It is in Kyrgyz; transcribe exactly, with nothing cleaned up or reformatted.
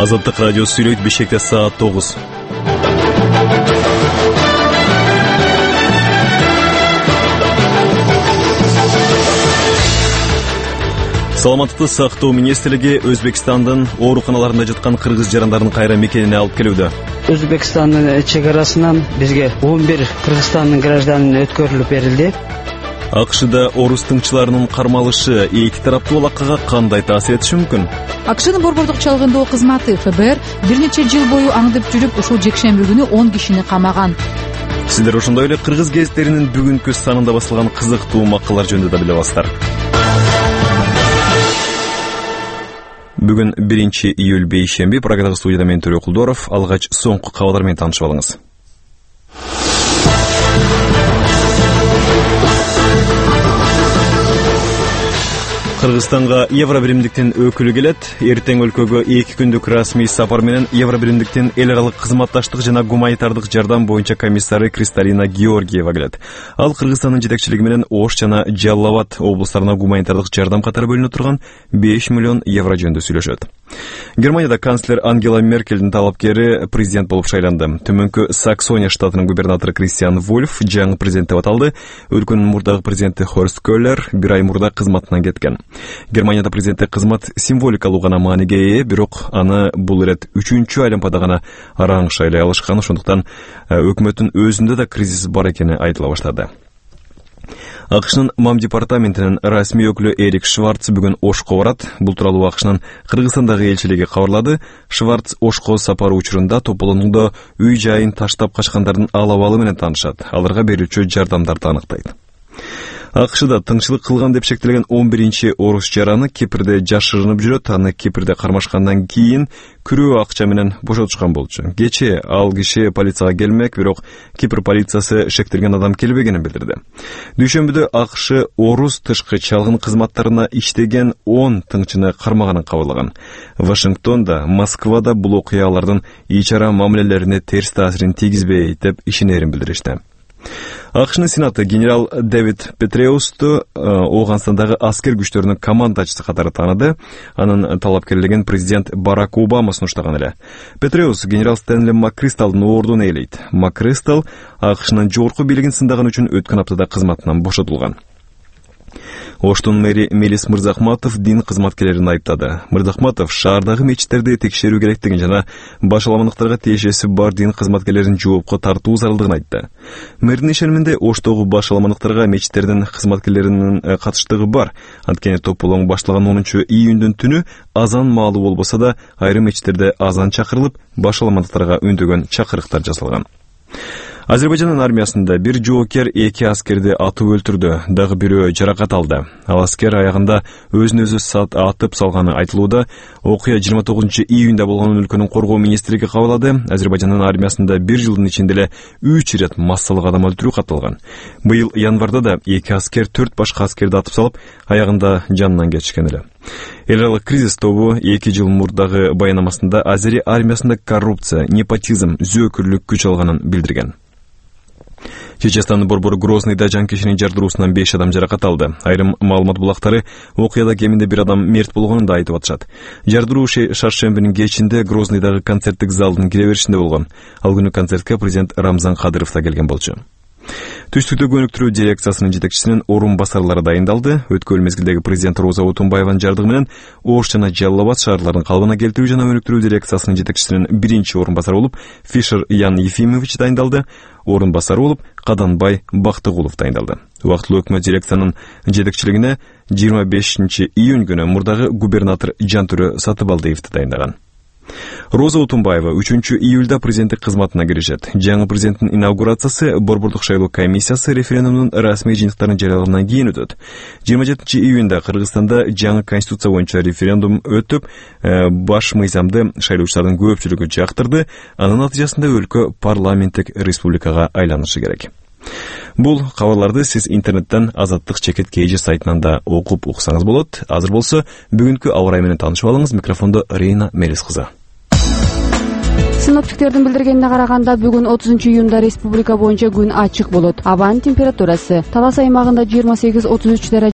Азаттык радио сүйлөйт. Бишкекте саат тогуз. Саламаттыкты сактоо министрлиги Өзбекстандын ооруканаларында жаткан кыргыз жарандарын кайра мекенине алып келүүдө. Өзбекстандын чек арасынан бизге он бир Кыргызстандын гражданы өткөрүлүп берилди. АКШда орус тыңчыларынын кармалышы эки тараптуу алакага кандай таасир этиши мүмкүн? АКШнын борбордук чалгындоо кызматы ФБР бир нече жыл бою аңдып жүрүп ушул жекшемби күнү он кишини камаган. Сиздер ошондой эле кыргыз гезиттеринин бүгүнкү санында басылган кызыктуу макалалар жөнүндө да биле аласыздар. Бүгүн биринчи июль бейшемби. Программада студияда мен Төлөй Кулдоров. Алгач соңку кабарлар менен таанышып алыңыз. Кыргызстанга Евробиримдиктин өкүлү келет. Эртең өлкөгө эки күндүк расмий сапар менен Евробиримдиктин эл аралык кызматташтык жана гуманитардык жардам боюнча комиссары Кристалина Георгиева келет. Ал Кыргызстандын жетекчилиги менен Ош жана Жалал Абад облустарына гуманитардык жардам катары бөлүнө турган беш миллион евро жөнүндө сүйлөшөт. Германияда канцлер Ангела Меркельдин талапкери президент болуп шайланды. Төмөнкү Саксония штатынын губернатору Кристиан Вульф жаңы президент деп аталды. Өлкөнүн мурдагы президенти Хорст Көллер бир ай мурда кызматынан кеткен. Германияда президенттик кызмат символикалуу гана мааниге ээ, бирок аны бул ирет үчүнчү айланпада гана араң шайлай алышкан, ошондуктан өкмөттүн өзүндө да кризис бар экени айтыла баштады. АКШнын МАМ департаментинин расмий өкүлү Эрик Шварц бүгүн Ошко барат. Бул тууралуу АКШнын Кыргызстандагы элчилиги кабарлады. Шварц Ошко сапары учурунда тополонууда үй жайын таштап качкандардын алабалы менен таанышат. Аларга берилүүчү жардамдарды аныктайт. АКШда тыңчылык кылган деп шектелген он биринчи орус жараны Кипрде жашырынып жүрөт. Аны Кипрде кармашкандан кийин күрөө акча менен бошотушкан болчу. Кечээ ал киши полицияга келмек, бирок Кипр полициясы шектелген адам келбегенин билдирди. Дүйшөмбүдө АКШ орус тышкы чалгын кызматтарына иштеген он тыңчыны кармаганын кабарлаган. Вашингтонда, Москвада бул окуялардын ич ара мамилелерине терс таасирин тийгизбейт деп ишенерин билдиришти. АКШнын сенаты генерал Дэвид Петреусту Ооганстандагы аскер күчтөрүнүн командачысы катары тааныды. Анын талапкерлигин президент Барак Обама сунуштаган эле. Петреус генерал Стэнли Маккристалдын ордун ээлейт. Маккристал АКШнын жогорку бийлигин сындаган үчүн өткөн аптада кызматынан бошотулган. Оштун мэри Мелис Мырзахматов дин кызматкерлерин айыптады. Мырзахматов шаардагы мечиттерди текшерүү керектигин жана башаламандыктарга тиешеси бар дин кызматкерлерин жоопко тартуу зарылдыгын айтты. Мэрдин ишениминде Оштогу башаламандыктарга мечиттердин кызматкерлеринин катыштыгы бар. Анткени тополоң башталган онунчу июндүн түнү азан маалы болбосо да айрым мечиттерде азан чакырылып, башаламандыктарга үндөгөн чакырыктар жасалган. Азербайжандын армиясында бир жоокер эки аскерди атып өлтүрдү, дагы бирөө жаракат алды. Ал аскер аягында өзүн өзү сат атып салганы айтылууда. Окуя жыйырма тогузунчу июнда болгонун өлкөнүн коргоо министрлиги кабарлады. Азербайжандын армиясында бир жылдын ичинде эле үч ирет массалык адам өлтүрүү катталган. Быйыл январда да эки аскер төрт башка аскерди атып салып, аягында жанынан кечишкен эле. Эл аралык кризис тобу эки жыл мурдагы баянамасында Азери армиясында коррупция, непотизм, зөөкүрлүк күч алганын билдирген. Чеченстандын борбору Грознийда жанкечинин жардыруусунан беш адам жаракат алды. Айрым маалымат булактары окуяда кеминде бир адам мерт болгонун да айтып атышат. Жардыруу шаршембинин кечинде Грознийдагы концерттик залдын кире беришинде болгон. Ал күнү концертке президент Рамзан Кадыров да келген болчу. Түштүктө көнүктүрүү дирекциясынын жетекчисинин орун басарлары дайындалды. Өткөн мезгилдеги президент Роза Отунбаеванын жардыгы менен Ош жана Жалал Абад шаарларын калыбына келтирүү жана өнүктүрүү дирекциясынын жетекчисинин биринчи орун басары болуп Фишер Ян Ефимович дайындалды. Орун басары болуп Каданбай Бактыгулов дайындалды. Убактылуу өкмөт дирекциянын жетекчилигине жыйырма бешинчи июнь күнү мурдагы губернатор Жантүрө Сатыбалдиевди дайындаган. Роза Отунбаева үчүнчү июлда президенттик кызматына киришет. Жаңы президенттин инаугурациясы борбордук шайлоо комиссиясы референдумдун расмий жыйынтыктарын жарыялагандан кийин өтөт. жыйырма жетинчи июнда Кыргызстанда жаңы конституция боюнча референдум өтүп, баш мыйзамды шайлоочулардын көпчүлүгү жактырды. Анын натыйжасында өлкө парламенттик республикага айланышы керек. Бул кабарларды сиз интернеттен Азаттык чекит кей жи сайтынан да окуп уксаңыз болот. Азыр болсо бүгүнкү аба ырайы менен таанышып алыңыз. Микрофондо Рейна Мелис кызы. Синоптиктердин билдиргенине караганда бүгүн отузунчу июнда республика боюнча күн ачык болот. Абанын температурасы Талас аймагында жыйырма сегиз отуз үч